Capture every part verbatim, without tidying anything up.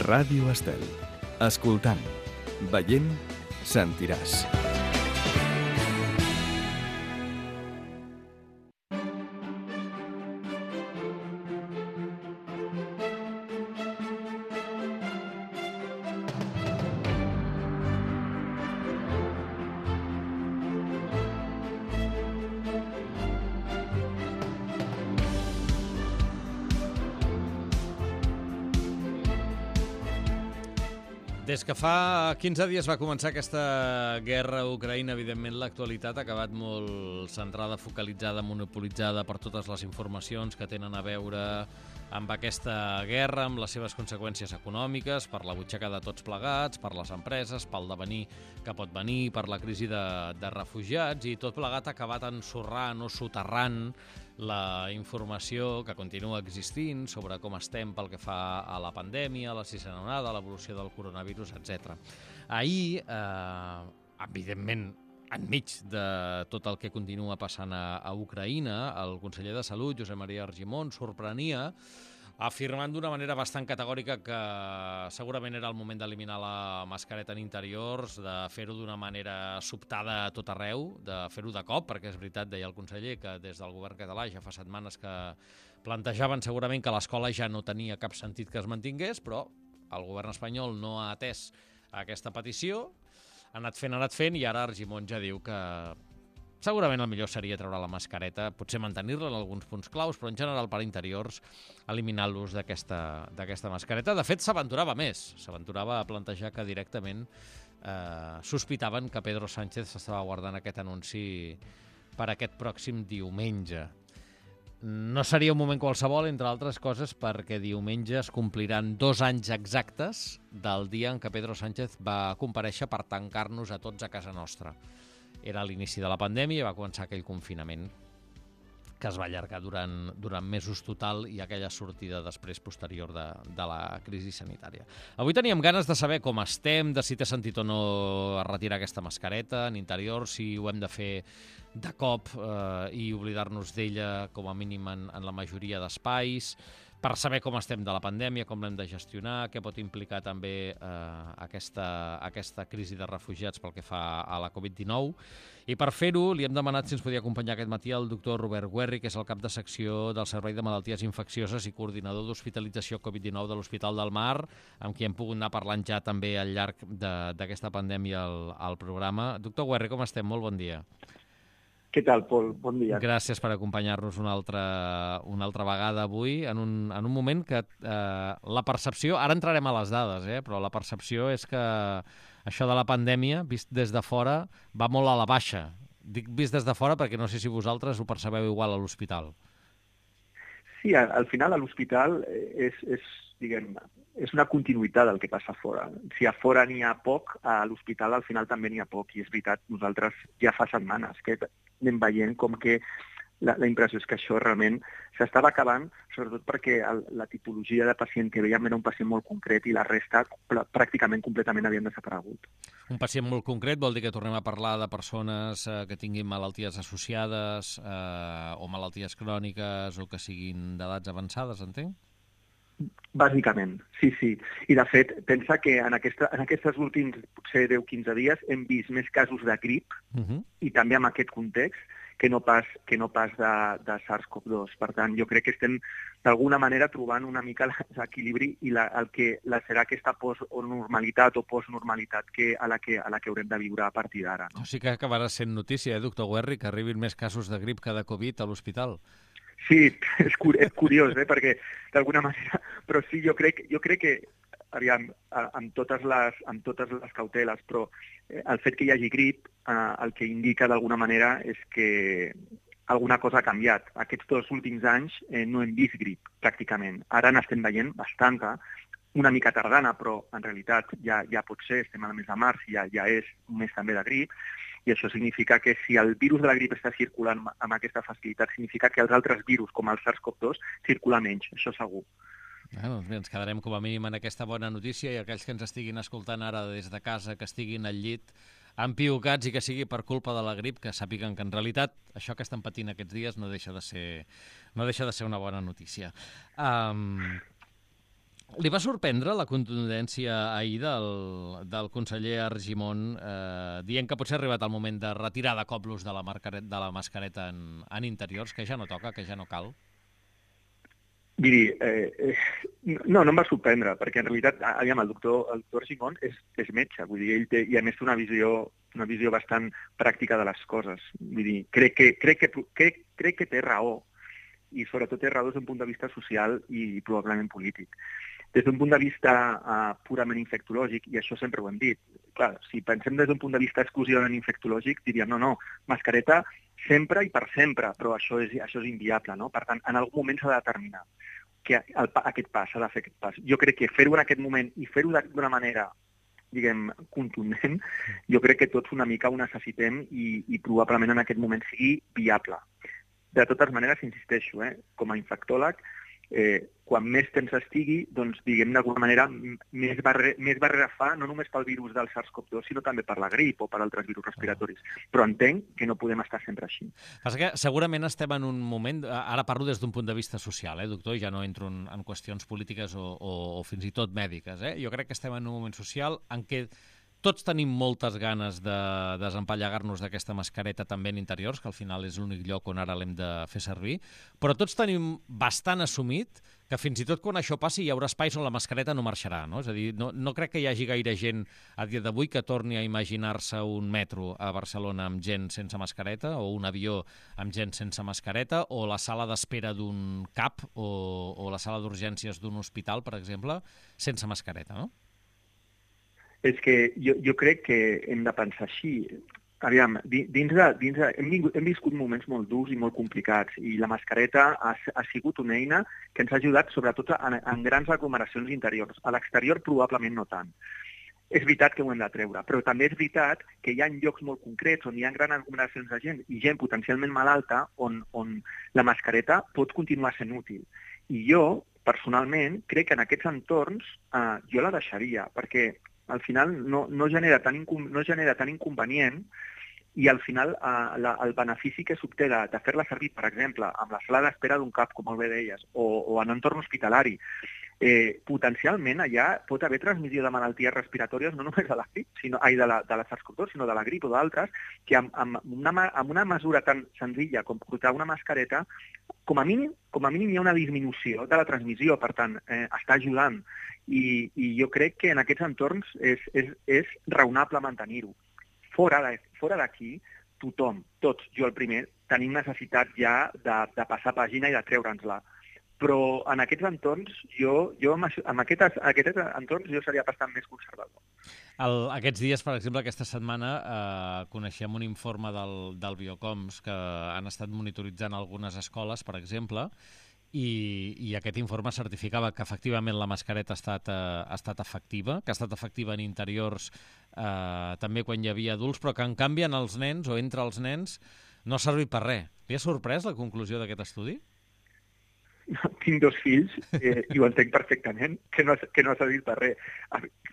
Ràdio Estel. Escoltant, veient, sentiràs. Des que fa quinze dies va començar aquesta guerra a Ucraïna, evidentment l'actualitat ha acabat molt centrada, focalitzada, monopolitzada per totes les informacions que tenen a veure amb aquesta guerra, amb les seves conseqüències econòmiques, per la butxaca de tots plegats, per les empreses, pel devenir que pot venir, per la crisi de, de refugiats, i tot plegat ha acabat ensorrant o soterrant la informació que continua existint sobre com estem pel que fa a la pandèmia, a la sisena onada, a l'evolució del coronavirus, etcètera. Ahir, eh, evidentment, enmig de tot el que continua passant a, a Ucraïna, el conseller de Salut, Josep Maria Argimon, sorprenia afirmant d'una manera bastant categòrica que segurament era el moment d'eliminar la mascareta en interiors, de fer-ho d'una manera sobtada a tot arreu, de fer-ho de cop, perquè és veritat, deia el conseller, que des del govern català ja fa setmanes que plantejaven segurament que l'escola ja no tenia cap sentit que es mantingués, però el govern espanyol no ha atès aquesta petició, ha anat fent, ha anat fent, i ara Argimon ja diu que segurament el millor seria treure la mascareta, potser mantenir-la en alguns punts claus, però en general per interiors eliminar l'ús d'aquesta d'aquesta mascareta. De fet, s'aventurava més, s'aventurava a plantejar que directament eh, sospitaven que Pedro Sánchez s'estava guardant aquest anunci per aquest pròxim diumenge. No seria un moment qualsevol, entre altres coses, perquè diumenge es compliran dos anys exactes del dia en què Pedro Sánchez va comparèixer per tancar-nos a tots a casa nostra. Era l'inici de la pandèmia i va començar aquell confinament que es va allargar durant, durant mesos total, i aquella sortida després posterior de, de la crisi sanitària. Avui teníem ganes de saber com estem, de si té sentit o no retirar aquesta mascareta en interior, si ho hem de fer de cop eh, i oblidar-nos d'ella com a mínim en, en la majoria d'espais, per saber com estem de la pandèmia, com l'hem de gestionar, què pot implicar també eh, aquesta, aquesta crisi de refugiats pel que fa a la covid dinou. I per fer-ho li hem demanat si ens podia acompanyar aquest matí el doctor Robert Guerri, que és el cap de secció del Servei de Malalties Infeccioses i coordinador d'hospitalització covid dinou de l'Hospital del Mar, amb qui hem pogut anar parlant ja també al llarg d'aquesta pandèmia al, al programa. Doctor Guerri, com estem? Molt bon dia. Què tal, Pol? Bon dia. Gràcies per acompanyar-nos una altra, una altra vegada avui, en un, en un moment que eh, la percepció, ara entrarem a les dades, eh, però la percepció és que això de la pandèmia, vist des de fora, va molt a la baixa. Dic vist des de fora perquè no sé si vosaltres ho percebeu igual a l'hospital. Sí, al final a l'hospital és, és, diguem, és una continuïtat del que passa a fora. Si a fora n'hi ha poc, a l'hospital al final també n'hi ha poc. I és veritat, nosaltres ja fa setmanes que anem veient com que la, la impressió és que això realment s'estava acabant, sobretot perquè el, la tipologia de pacient que veiem era un pacient molt concret i la resta pràcticament completament havien desaparegut. Un pacient molt concret vol dir que tornem a parlar de persones eh, que tinguin malalties associades eh, o malalties cròniques o que siguin d'edats avançades, entenc? Bàsicament, sí, sí. I de fet, pensa que en, aquesta, en aquests últims potser deu a quinze dies hem vist més casos de grip uh-huh. i també en aquest context que no pas, que no pas de, de SARS CoV dos. Per tant, jo crec que estem d'alguna manera trobant una mica l'equilibri i la, el que la, serà aquesta post-normalitat o postnormalitat que, a, la que, a la que haurem de viure a partir d'ara. No? O sigui que acabarà sent notícia, eh, doctor Guerri, que arribin més casos de grip que de Covid a l'hospital. Sí, és, cur és curiós, eh, perquè d'alguna manera... Però sí, jo crec, jo crec que, aviam, amb totes les, amb totes les cauteles, però el fet que hi hagi grip eh, el que indica d'alguna manera és que alguna cosa ha canviat. Aquests dos últims anys eh, no hem vist grip, pràcticament. Ara n'estem veient bastanta, una mica tardana, però en realitat ja, ja pot ser, estem al mes de març i ja, ja és un mes també de grip, i això significa que si el virus de la grip està circulant amb aquesta facilitat, significa que els altres virus, com el SARS CoV dos, circulen menys, això segur. Ah, doncs bé, ens quedarem com a mínim en aquesta bona notícia, i aquells que ens estiguin escoltant ara des de casa, que estiguin al llit empiucats i que sigui per culpa de la grip, que sàpiguen que en realitat això que estan patint aquests dies no deixa de ser, no deixa de ser una bona notícia. Um, Li va sorprendre la contundència ahir del, del conseller Argimon eh, dient que potser ha arribat el moment de retirar de cop l'ús de la, de la mascareta en, en interiors, que ja no toca, que ja no cal? Miri, eh, eh, no, no em va sorprendre, perquè en realitat, aviam, el doctor, el doctor Argimon és, és metge, vull dir, ell té, i a més té una visió, una visió bastant pràctica de les coses. Vull dir, crec que, crec que, crec, crec que té raó, i sobretot té raó des d'un punt de vista social i probablement polític. Des d'un punt de vista uh, purament infectològic, i això sempre ho hem dit, clar, si pensem des d'un punt de vista exclusivament infectològic, diríem, no, no, mascareta sempre i per sempre, però això és, això és inviable, no? Per tant, en algun moment s'ha de determinar que el, aquest pas, s'ha de fer aquest pas. Jo crec que fer-ho en aquest moment i fer-ho d'una manera, diguem, contundent, jo crec que tots una mica ho necessitem i, i probablement en aquest moment sigui viable. De totes maneres, insisteixo, eh, com a infectòleg, eh, quan més temps estigui, doncs, diguem, d'alguna manera, més, barre, més barrera fa, no només pel virus del SARS-CoV dos, sinó també per la grip o per altres virus respiratoris. Però entenc que no podem estar sempre així. Passa que segurament estem en un moment, ara parlo des d'un punt de vista social, eh, doctor, ja no entro en, en qüestions polítiques o, o, o fins i tot mèdiques. Eh? Jo crec que estem en un moment social en què tots tenim moltes ganes de desempallegar-nos d'aquesta mascareta també en interiors, que al final és l'únic lloc on ara l'hem de fer servir, però tots tenim bastant assumit que fins i tot quan això passi hi haurà espais on la mascareta no marxarà, no? És a dir, no, no crec que hi hagi gaire gent a dia d'avui que torni a imaginar-se un metro a Barcelona amb gent sense mascareta, o un avió amb gent sense mascareta, o la sala d'espera d'un C A P o, o la sala d'urgències d'un hospital, per exemple, sense mascareta, no? És que jo, jo crec que hem de pensar així. Aviam, dins de, dins de, hem, vingut, hem viscut moments molt durs i molt complicats i la mascareta ha, ha sigut una eina que ens ha ajudat sobretot en, en grans aglomeracions interiors. A l'exterior probablement no tant. És veritat que ho hem de treure, però també és veritat que hi ha llocs molt concrets on hi ha grans aglomeracions de gent i gent potencialment malalta on, on la mascareta pot continuar sent útil. I jo, personalment, crec que en aquests entorns eh, jo la deixaria, perquè al final no, no, genera tan no genera tant inconvenient i al final eh, la, el benefici que s'obté de, de fer-la servir, per exemple, amb la sala d'espera d'un C A P, com molt bé deies, o, o en un entorn hospitalari, eh, potencialment allà pot haver transmissió de malalties respiratòries no només de la grip, sinó, ai, de la, de la SARS-CoV dos, sinó de la grip o d'altres, que amb, amb, una, amb una mesura tan senzilla com portar una mascareta, com a mínim, com a mínim hi ha una disminució de la transmissió, per tant, eh, està ajudant. I, i jo crec que en aquests entorns és, és, és raonable mantenir-ho. Fora de, fora d'aquí, tothom, tots, jo el primer, tenim necessitat ja de, de passar pàgina i de treure'ns-la. Però en aquests entorns, jo, jo en aquests, aquests entorns jo seria bastant més conservador. El, aquests dies, per exemple, aquesta setmana, eh, coneixem un informe del, del Biocoms que han estat monitoritzant algunes escoles, per exemple, I, i aquest informe certificava que efectivament la mascareta ha estat, eh, ha estat efectiva, que ha estat efectiva en interiors eh, també quan hi havia adults, però que en canvi en els nens o entre els nens no ha servit per res. Li ha sorprès la conclusió d'aquest estudi? No, tinc dos fills eh, i ho entenc perfectament, que no, que no ha servit per res.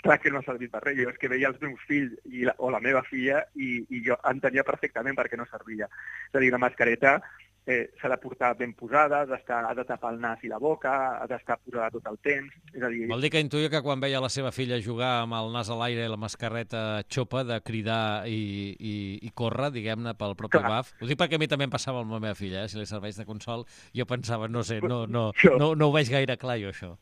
Clar que no ha servit per res. Jo és que veia els meus fills i la, o la meva filla i, i jo entenia perfectament per què no servia. És a dir, la mascareta eh, s'ha de portar ben posada, ha, d'estar, ha de tapar el nas i la boca, ha d'estar posada tot el temps. És a dir... Vol dir que intuïa que quan veia la seva filla jugar amb el nas a l'aire i la mascareta xopa de cridar i, i, i córrer, diguem-ne, pel propi Clar. baf. Ho dic perquè a mi també em passava amb la meva filla, eh? Si li serveix de consol, jo pensava, no sé, no, no, no, no ho veig gaire clar jo, això.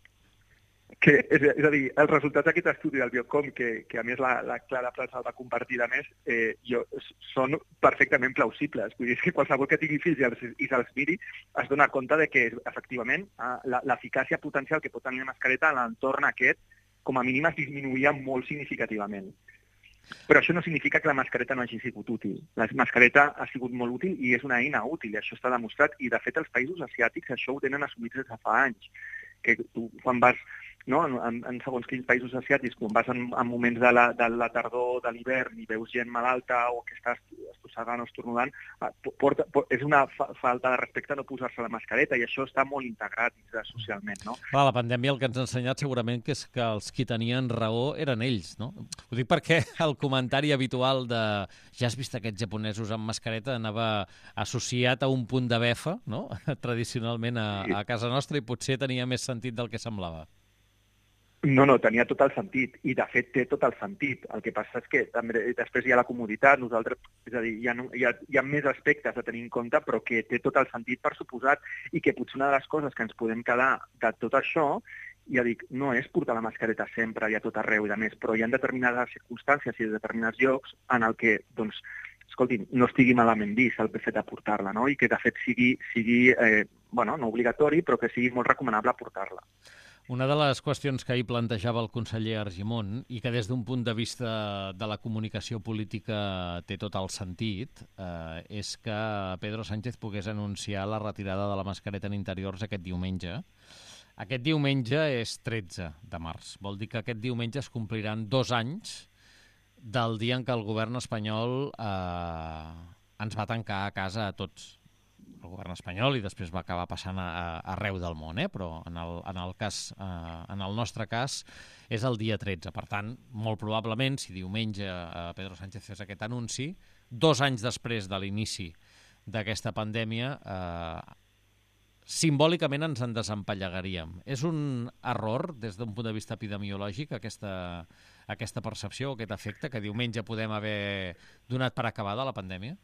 Que, és, és a dir, els resultats d'aquest estudi del Biocom, que, que a més la, la Clara Prats el va compartir de més, eh, jo, són perfectament plausibles. Vull dir, que qualsevol que tingui fills i, els, i se'ls miri es dona compte de que, efectivament, l'eficàcia potencial que pot tenir la mascareta en l'entorn aquest, com a mínim es disminuïa molt significativament. Però això no significa que la mascareta no hagi sigut útil. La mascareta ha sigut molt útil i és una eina útil, i això està demostrat. I, de fet, els països asiàtics això ho tenen assumit des de fa anys. Que tu, quan vas... No? En, en segons quins països asiàtics, quan vas en, en moments de la, de la tardor, de l'hivern, i veus gent malalta o que està estossegant o estornudant, porta, porta, és una fa, falta de respecte no posar-se la mascareta, i això està molt integrat socialment. No? Clar, la pandèmia el que ens ha ensenyat segurament que és que els qui tenien raó eren ells, no? Ho dic perquè el comentari habitual de ja has vist aquests japonesos amb mascareta anava associat a un punt de befa, no? Tradicionalment a, a casa nostra, i potser tenia més sentit del que semblava. No, no, tenia tot el sentit, i de fet té tot el sentit. El que passa és que també, després hi ha la comoditat, nosaltres, és a dir, hi ha, hi, ha, hi ha més aspectes a tenir en compte, però que té tot el sentit per suposat, i que potser una de les coses que ens podem quedar de tot això, ja dic, no és portar la mascareta sempre i a tot arreu i de més, però hi ha determinades circumstàncies i determinats llocs en el que, doncs, escolti, no estigui malament vist el fet de portar-la, no? I que de fet sigui, sigui eh, bueno, no obligatori, però que sigui molt recomanable portar-la. Una de les qüestions que ahir plantejava el conseller Argimon i que des d'un punt de vista de la comunicació política té tot el sentit eh, és que Pedro Sánchez pogués anunciar la retirada de la mascareta en interiors aquest diumenge. Aquest diumenge és tretze de març. Vol dir que aquest diumenge es compliran dos anys del dia en què el govern espanyol eh, ens va tancar a casa a tots. El govern espanyol, i després va acabar passant a, a, arreu del món, eh? Però en el, en, el cas, eh, en el nostre cas és el dia tretze. Per tant, molt probablement, si diumenge eh, Pedro Sánchez fes aquest anunci, dos anys després de l'inici d'aquesta pandèmia, eh, simbòlicament ens en desempallegaríem. És un error, des d'un punt de vista epidemiològic, aquesta, aquesta percepció, aquest efecte, que diumenge podem haver donat per acabada la pandèmia?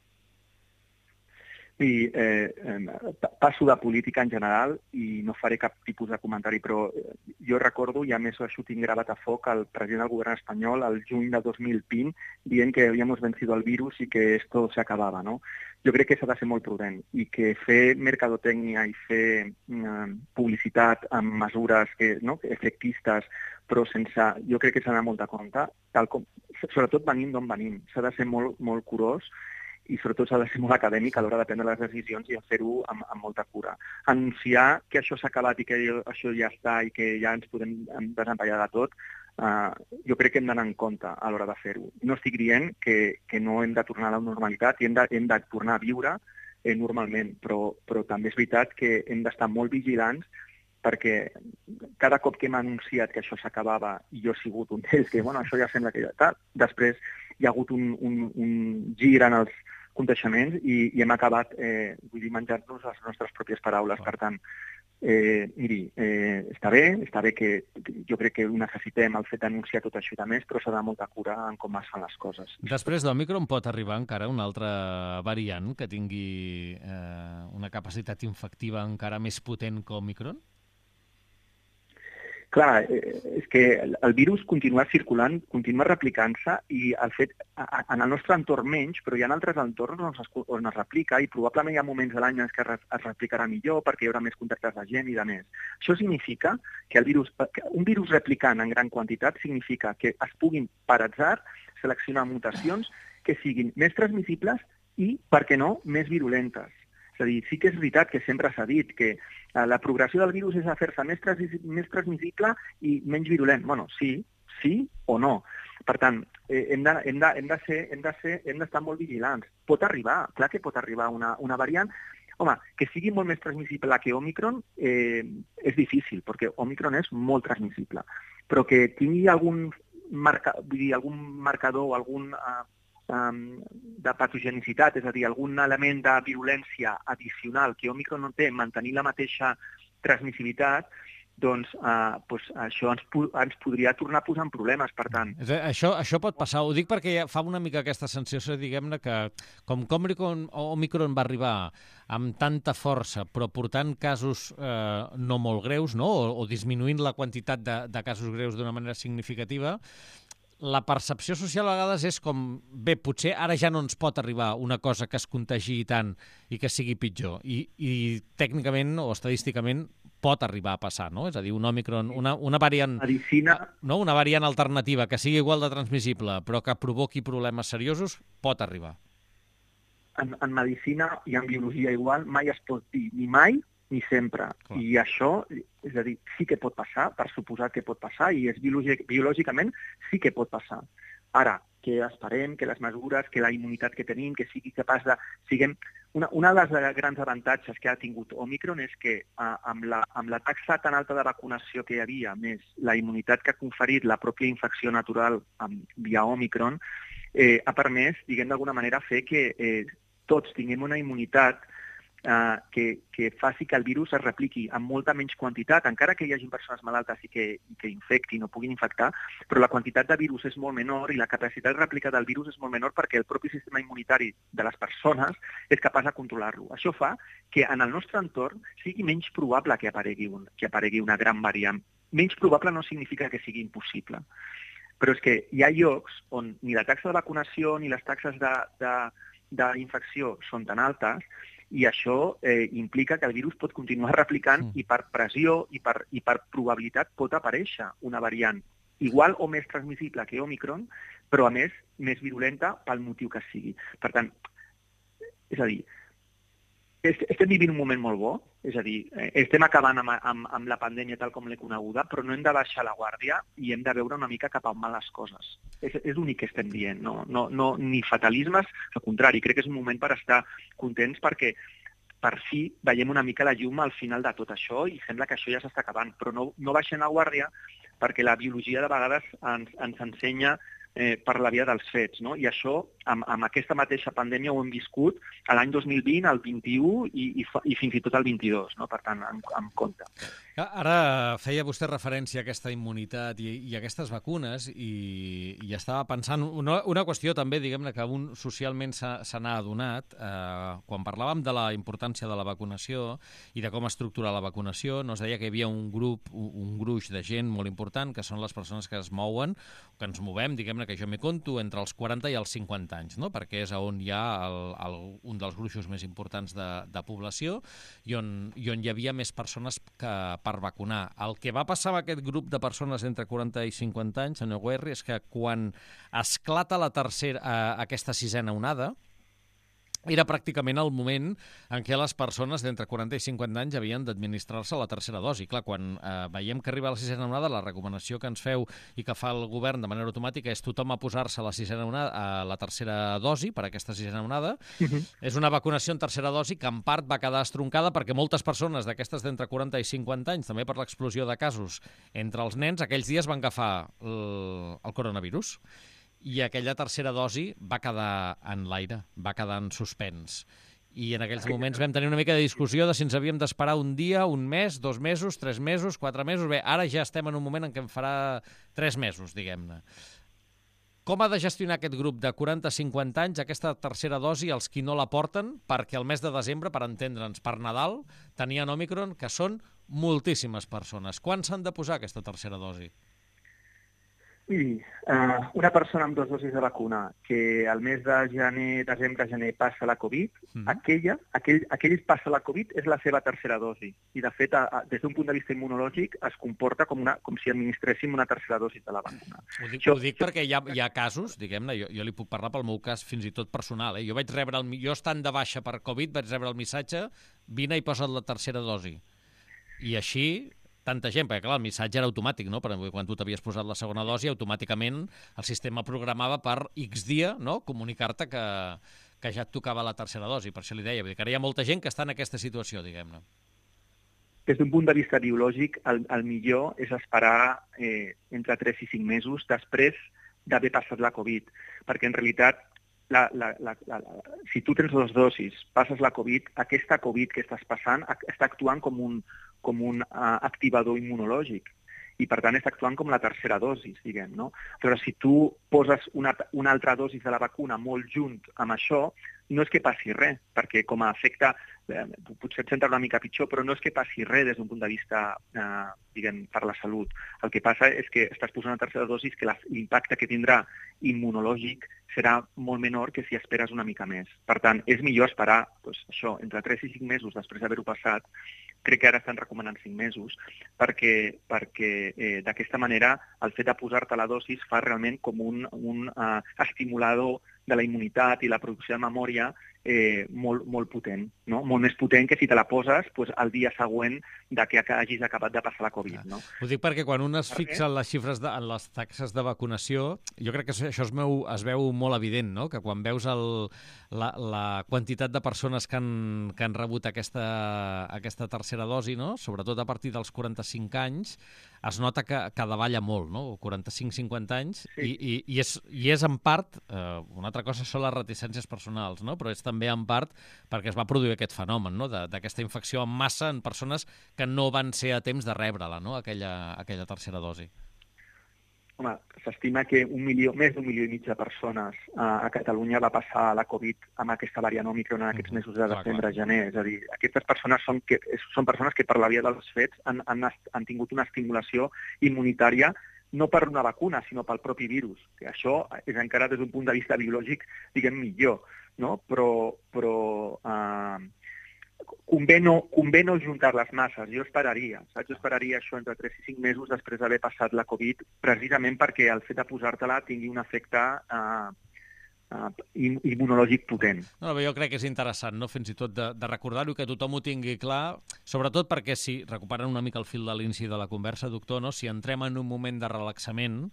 Sí, eh, eh, passo de política en general i no faré cap tipus de comentari, però jo recordo, i a més això ho tinc gravat a foc, el president del govern espanyol el juny de dos mil vint dient que havíamos vencido el virus i que esto se acabava, no? Jo crec que s'ha de ser molt prudent i que fer mercadotècnia i fer eh, publicitat amb mesures que, no, efectistes, però sense... Jo crec que s'ha d'anar molt de compte, tal com, sobretot venint d'on venim. S'ha de ser molt, molt curós i sobretot s'ha de ser molt acadèmic a l'hora de prendre les decisions i a fer-ho amb, amb molta cura. Anunciar que això s'ha acabat i que això ja està i que ja ens podem desempallar de tot, uh, jo crec que hem d'anar en compte a l'hora de fer-ho. No estic dient que, que no hem de tornar a la normalitat i hem de, hem de tornar a viure eh, normalment, però, però també és veritat que hem d'estar molt vigilants perquè cada cop que hem anunciat que això s'acabava, i jo he sigut un d'ells, que bueno, això ja sembla que ja està, després hi ha hagut un, un, un gir en els coneixements i, i hem acabat eh, vull dir, menjant-nos les nostres pròpies paraules. Per tant, eh, miri, eh, està bé, està bé que jo crec que necessitem el fet d'anunciar tot això i de més, però s'ha de molta cura en com es fan les coses. Després d'Òmicron pot arribar encara una altra variant que tingui eh, una capacitat infectiva encara més potent que Òmicron? Clar, és que el virus continua circulant, continua replicant-se i el fet, en el nostre entorn menys, però hi ha altres entorns on es, on es replica i probablement hi ha moments de l'any en què es replicarà millor perquè hi haurà més contactes de gent i de més. Això significa que el virus, que un virus replicant en gran quantitat significa que es puguin, per atzar, seleccionar mutacions que siguin més transmissibles i, per què no, més virulentes. És a dir, sí que és veritat que sempre s'ha dit que la progressió del virus és a fer-se més, trans més transmissible i menys virulent. Bueno, sí, sí o no. Per tant, eh, hem de, hem de, hem de ser, hem de ser, hem d'estar molt vigilants. Pot arribar, clar que pot arribar una, una variant. Home, que sigui molt més transmissible que Òmicron eh, és difícil, perquè Òmicron és molt transmissible. Però que tingui algun, marca, vull dir, algun marcador o algun... Eh, de patogenicitat, és a dir, algun element de virulència addicional que Òmicron no té, mantenir la mateixa transmissibilitat, doncs, eh, doncs això ens, ens podria tornar a posar en problemes, per tant. Això, això pot passar, ho dic perquè fa una mica aquesta sensació, diguem-ne, que com que Òmicron, Òmicron va arribar amb tanta força, però portant casos eh, no molt greus, no? o, o disminuint la quantitat de, de casos greus d'una manera significativa, la percepció social a vegades és com, bé, potser ara ja no ens pot arribar una cosa que es contagi tant i que sigui pitjor. I, i tècnicament o estadísticament pot arribar a passar, no? És a dir, un Òmicron, una, una variant... Medicina... No? Una variant alternativa que sigui igual de transmissible però que provoqui problemes seriosos, pot arribar. En, en medicina i en biologia igual mai es pot dir ni mai ni sempre. Clar. I això, és a dir, sí que pot passar, per suposar que pot passar, i és biològic, biològicament sí que pot passar. Ara, que esperem que les mesures, que la immunitat que tenim, que sigui capaç de... Siguem... Una, una de les grans avantatges que ha tingut Òmicron és que eh, amb, la, amb la taxa tan alta de vacunació que hi havia, més la immunitat que ha conferit la pròpia infecció natural amb, via Òmicron, eh, ha permès, diguem d'alguna manera, fer que eh, tots tinguem una immunitat eh, que, que faci que el virus es repliqui amb molta menys quantitat, encara que hi hagi persones malaltes i que, i que infectin o puguin infectar, però la quantitat de virus és molt menor i la capacitat de rèplica del virus és molt menor perquè el propi sistema immunitari de les persones és capaç de controlar-lo. Això fa que en el nostre entorn sigui menys probable que aparegui, un, que aparegui una gran variant. Menys probable no significa que sigui impossible. Però és que hi ha llocs on ni la taxa de vacunació ni les taxes d'infecció són tan altes i això eh, implica que el virus pot continuar replicant mm. i per pressió i per, i per probabilitat pot aparèixer una variant igual o més transmissible que Omicron, però a més més virulenta pel motiu que sigui. Per tant, és a dir, estem vivint un moment molt bo, és a dir, estem acabant amb, amb, amb la pandèmia tal com l'he coneguda, però no hem de baixar la guàrdia i hem de veure una mica cap a on van les coses. És, és l'únic que estem dient, no, no, no, ni fatalismes, al contrari, crec que és un moment per estar contents perquè per fi veiem una mica la llum al final de tot això i sembla que això ja s'està acabant, però no, no baixem la guàrdia perquè la biologia de vegades ens, ens ensenya eh, per la via dels fets, no? I això, amb, amb aquesta mateixa pandèmia ho hem viscut a l'any dos mil vint, al vint-i-u i, i, i fins i tot al vint-i-dos, no? Per tant, amb, amb compte. Ara feia vostè referència a aquesta immunitat i, i a aquestes vacunes i, i estava pensant una, una qüestió també, diguem-ne, que un socialment se n'ha adonat. Eh, quan parlàvem de la importància de la vacunació i de com estructurar la vacunació, no es deia que hi havia un grup, un gruix de gent molt important, que són les persones que es mouen, que ens movem, diguem-ne, que jo m'hi conto, entre els quaranta i els cinquanta anys, no? Perquè és on hi ha el, el, un dels gruixos més importants de, de població i on, i on hi havia més persones que per vacunar. El que va passar amb aquest grup de persones entre quaranta i cinquanta anys, senyor Guerri, és que quan esclata la tercera, eh, aquesta sisena onada, era pràcticament el moment en què les persones d'entre quaranta i cinquanta anys havien d'administrar-se la tercera dosi. Clar, quan eh, veiem que arriba la sisena onada, la recomanació que ens feu i que fa el govern de manera automàtica és tothom a posar-se la sisena onada, a la tercera dosi per aquesta sisena onada. Uh-huh. És una vacunació en tercera dosi que en part va quedar estroncada perquè moltes persones d'aquestes d'entre quaranta i cinquanta anys, també per l'explosió de casos entre els nens, aquells dies van agafar el, el coronavirus. I aquella tercera dosi va quedar en l'aire, va quedar en suspens. I en aquells moments vam tenir una mica de discussió de si ens havíem d'esperar un dia, un mes, dos mesos, tres mesos, quatre mesos. Bé, ara ja estem en un moment en què en farà tres mesos, diguem-ne. Com ha de gestionar aquest grup de quaranta a cinquanta anys aquesta tercera dosi els qui no la porten? Perquè el mes de desembre, per entendre'ns, per Nadal, tenien Omicron, que són moltíssimes persones. Quan s'han de posar aquesta tercera dosi? Miri, uh, una persona amb dues dosis de vacuna que al mes de gener, desembre, gener passa la Covid, mm. aquella, aquell, aquell passa la Covid és la seva tercera dosi. I, de fet, a, a, des d'un punt de vista immunològic es comporta com, una, com si administréssim una tercera dosi de la vacuna. Ho dic, Això, ho dic perquè hi ha, hi ha casos, diguem-ne, jo, jo li puc parlar pel meu cas fins i tot personal. Eh? Jo vaig rebre, el, jo estant de baixa per Covid, vaig rebre el missatge, vine i posa't la tercera dosi. I així tanta gent, perquè clar, el missatge era automàtic, no? Perquè quan tu t'havies posat la segona dosi, automàticament el sistema programava per X dia, no?, comunicar-te que, que ja et tocava la tercera dosi. Per això li deia, vull dir que ara hi ha molta gent que està en aquesta situació, diguem-ne. Des d'un punt de vista biològic, el, el millor és esperar eh, entre tres i cinc mesos després d'haver passat la Covid, perquè en realitat La, la, la, la, la, si tu tens dues dosis, passes la Covid, aquesta Covid que estàs passant està actuant com un, com un uh, activador immunològic i, per tant, està actuant com la tercera dosis, diguem, no? Però si tu poses una, una altra dosis de la vacuna molt junt amb això, no és que passi res, perquè com a efecte, eh, potser et senta una mica pitjor, però no és que passi res des d'un punt de vista, eh, diguem, per la salut. El que passa és que estàs posant una tercera dosis que l'impacte que tindrà immunològic serà molt menor que si esperes una mica més. Per tant, és millor esperar doncs, això, entre tres i cinc mesos després d'haver-ho passat. Crec que ara estan recomanant cinc mesos, perquè, perquè eh, d'aquesta manera el fet de posar-te la dosis fa realment com un, un uh, estimulador de la immunitat i la producció de memòria eh, molt, molt potent, no? Molt més potent que si te la poses pues, el dia següent de que hagis acabat de passar la Covid. No? Ho dic perquè quan un es fixa en les xifres, de, en les taxes de vacunació, jo crec que això es veu, es veu molt evident, no? Que quan veus el, la, la quantitat de persones que han, que han rebut aquesta, aquesta tercera dosi, no? Sobretot a partir dels quaranta-cinc anys, es nota que, que davalla molt, no? quaranta-cinc a cinquanta anys, sí. i, i, i, és, i és en part, eh, una altra cosa són les reticències personals, no? Però és també en part perquè es va produir aquest fenomen, no? D'aquesta infecció en massa en persones que no van ser a temps de rebre-la, no? aquella, aquella tercera dosi. Home, s'estima que un milió, més d'un milió i mig de persones uh, a Catalunya va passar la Covid amb aquesta variant Òmicron en aquests mesos de desembre a gener. És a dir, aquestes persones són, que, són persones que per la via dels fets han, han, han tingut una estimulació immunitària no per una vacuna, sinó pel propi virus. Que això és encara des d'un punt de vista biològic, diguem, millor, no? Però, però uh, convé, no, convé no juntar les masses. Jo esperaria, saps? Jo esperaria això entre tres i cinc mesos després d'haver passat la Covid, precisament perquè el fet de posar-te-la tingui un efecte uh, uh, immunològic potent. No, jo crec que és interessant, no? Fins i tot de, de recordar-ho, que tothom ho tingui clar, sobretot perquè si, recuperant una mica el fil de l'inici de la conversa, doctor, no? Si entrem en un moment de relaxament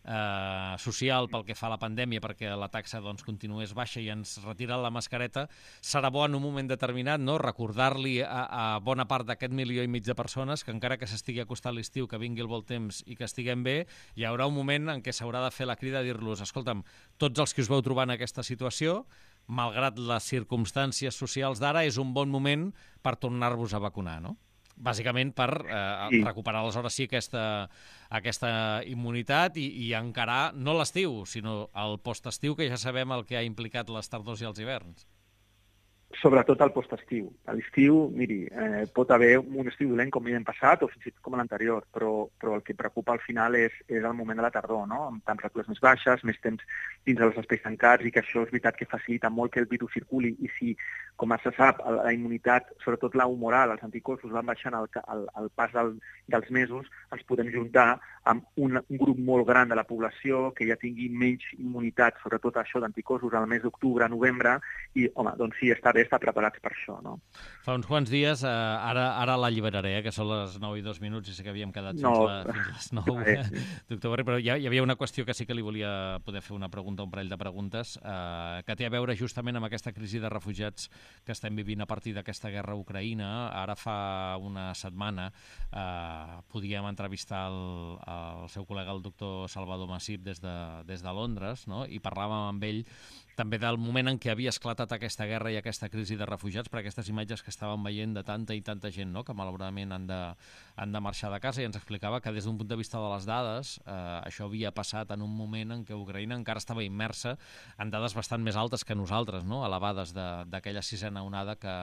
eh, social pel que fa a la pandèmia, perquè la taxa doncs, continués baixa i ens retira la mascareta, serà bo en un moment determinat, no? Recordar-li a, a bona part d'aquest milió i mig de persones que encara que s'estigui acostant l'estiu, que vingui el bon temps i que estiguem bé, hi haurà un moment en què s'haurà de fer la crida a dir-los, escolta'm, tots els que us veu trobar en aquesta situació, malgrat les circumstàncies socials d'ara, és un bon moment per tornar-vos a vacunar, no? Bàsicament per eh, sí. recuperar aleshores sí aquesta, aquesta immunitat i, i encarar no l'estiu, sinó el postestiu, que ja sabem el que ha implicat les tardors i els hiverns. Sobretot al postestiu. A l'estiu, miri, eh, pot haver un estiu dolent com l'any passat o fins i tot com l'anterior, però, però el que preocupa al final és, és el moment de la tardor, no? Amb temperatures més baixes, més temps dins dels espais tancats, i que això és veritat que facilita molt que el virus circuli, i si, com se sap, la immunitat, sobretot la humoral, els anticossos van baixant al, al, al pas del, dels mesos, ens podem juntar amb un, un grup molt gran de la població que ja tingui menys immunitat, sobretot això d'anticossos al mes d'octubre, novembre, i, home, doncs sí, està bé estar preparats per això, no? Fa uns quants dies, eh, ara, ara l'alliberaré, eh, que són les nou i dos minuts, i sé que havíem quedat fins, no. la, fins les nou, eh, doctor Guerri, però hi, hi havia una qüestió que sí que li volia poder fer una pregunta, un parell de preguntes, eh, que té a veure justament amb aquesta crisi de refugiats que estem vivint a partir d'aquesta guerra a Ucraïna. Ara fa una setmana eh, podíem entrevistar el, el seu col·lega, el doctor Salvador Massip, des de, des de Londres, no? I parlàvem amb ell també del moment en què havia esclatat aquesta guerra i aquesta crisi de refugiats, per aquestes imatges que estàvem veient de tanta i tanta gent, no? Que malauradament han de, han de marxar de casa, i ens explicava que des d'un punt de vista de les dades eh, això havia passat en un moment en què Ucraïna encara estava immersa en dades bastant més altes que nosaltres, no? Elevades d'aquella sisena onada que,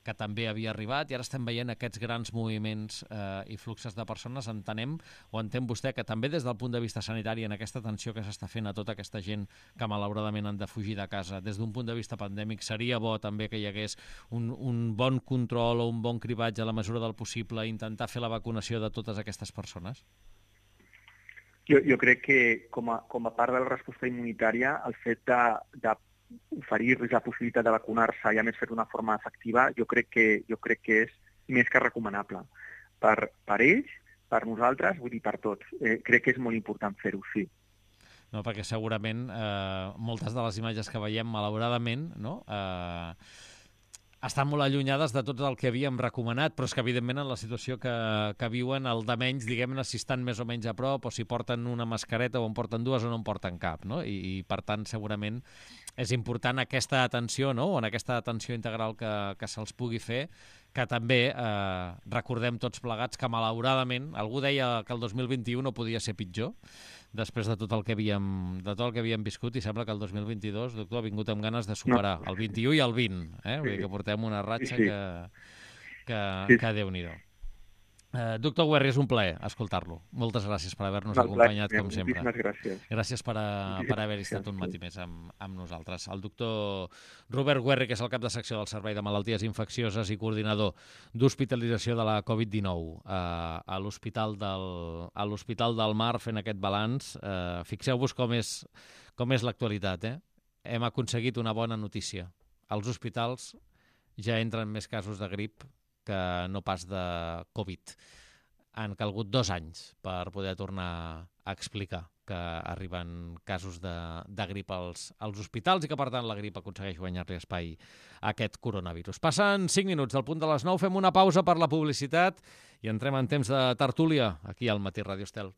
que també havia arribat, i ara estem veient aquests grans moviments eh, i fluxes de persones. Entenem, o entén vostè, que també des del punt de vista sanitari, en aquesta atenció que s'està fent a tota aquesta gent que malauradament han de fugir de casa, des d'un punt de vista pandèmic, seria bo també que hi hagués un, un bon control o un bon cribatge a la mesura del possible, intentar fer la vacunació de totes aquestes persones? Jo, jo crec que com a, com a part de la resposta immunitària, el fet de, de oferir-los la possibilitat de vacunar-se i a més fer d'una forma efectiva, jo crec que, jo crec que és més que recomanable. Per, per ells, per nosaltres, vull dir per tots. Eh, crec que és molt important fer-ho, sí. No, perquè segurament eh, moltes de les imatges que veiem, malauradament, no? eh, estan molt allunyades de tot el que havíem recomanat, però és que, evidentment, en la situació que, que viuen, el de menys, diguem-ne, si estan més o menys a prop, o si porten una mascareta, o en porten dues, o no en porten cap, no? I, i per tant, segurament, és important aquesta atenció, no? O en aquesta atenció integral que, que se'ls pugui fer, que també eh, recordem tots plegats que, malauradament, algú deia que el dos mil vint-i-u no podia ser pitjor, després de tot el que havíem, de tot el que havíem viscut, i sembla que el dos mil vint-i-dos, doctor, ha vingut amb ganes de superar no. el vint-i-u i el vint, eh? Vull dir que portem una ratxa sí, sí. que, que, sí. que Déu-n'hi-do. Uh, doctor Guerri, és un plaer escoltar-lo. Moltes gràcies per haver-nos acompanyat, com sempre. Moltíssimes gràcies. Gràcies per, a, per haver-hi estat un matí més amb, amb nosaltres. El doctor Robert Guerri, que és el cap de secció del Servei de Malalties Infeccioses i coordinador d'hospitalització de la Covid dinou uh, a l'Hospital del, a l'Hospital del Mar, fent aquest balanç. Uh, fixeu-vos com és, com és l'actualitat, eh? Hem aconseguit una bona notícia. Als hospitals ja entren més casos de grip que no pas de Covid. Han calgut dos anys per poder tornar a explicar que arriben casos de, de grip als, als hospitals i que, per tant, la grip aconsegueix guanyar-li espai a aquest coronavirus. Passen cinc minuts del punt de les nou, fem una pausa per la publicitat i entrem en temps de tertúlia aquí al Matí Ràdio Estel.